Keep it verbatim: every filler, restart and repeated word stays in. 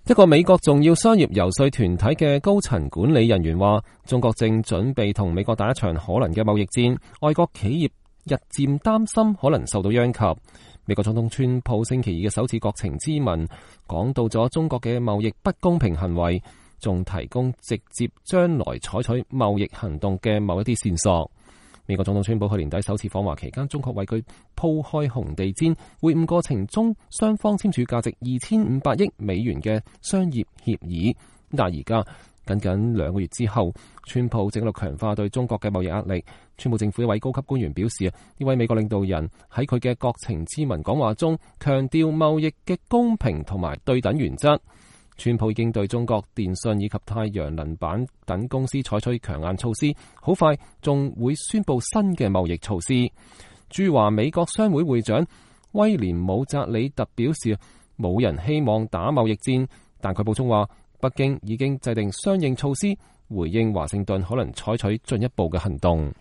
一個美國重要商業游說團體嘅高層管理人員話，中國正準備同美國打一場可能嘅貿易戰，外國企業日漸擔心可能受到殃及。美國總統川普星期二嘅首次國情咨文講到咗中國嘅貿易不公平行為，仲提供直接將來採取貿易行動嘅某一啲線索。美國總統川普去年底首次訪華期間，中國為佢鋪開紅地毯，會晤過程中雙方簽署價值二千五百億美元嘅商業協議。但係而家僅僅兩個月之後，川普正喺度強化對中國嘅貿易壓力。川普政府一位高級官員表示，呢位美國領導人喺佢嘅國情咨文講話中強調貿易嘅公平同埋對等原則。川普已經對中國電信以及太陽能板等公司採取強硬措施，好快仲會宣布新嘅貿易措施。駐華美國商會會長威廉姆澤里特表示，冇人希望打貿易戰，但佢補充話，北京已經制定相應措施，回應華盛頓可能採取進一步嘅行動。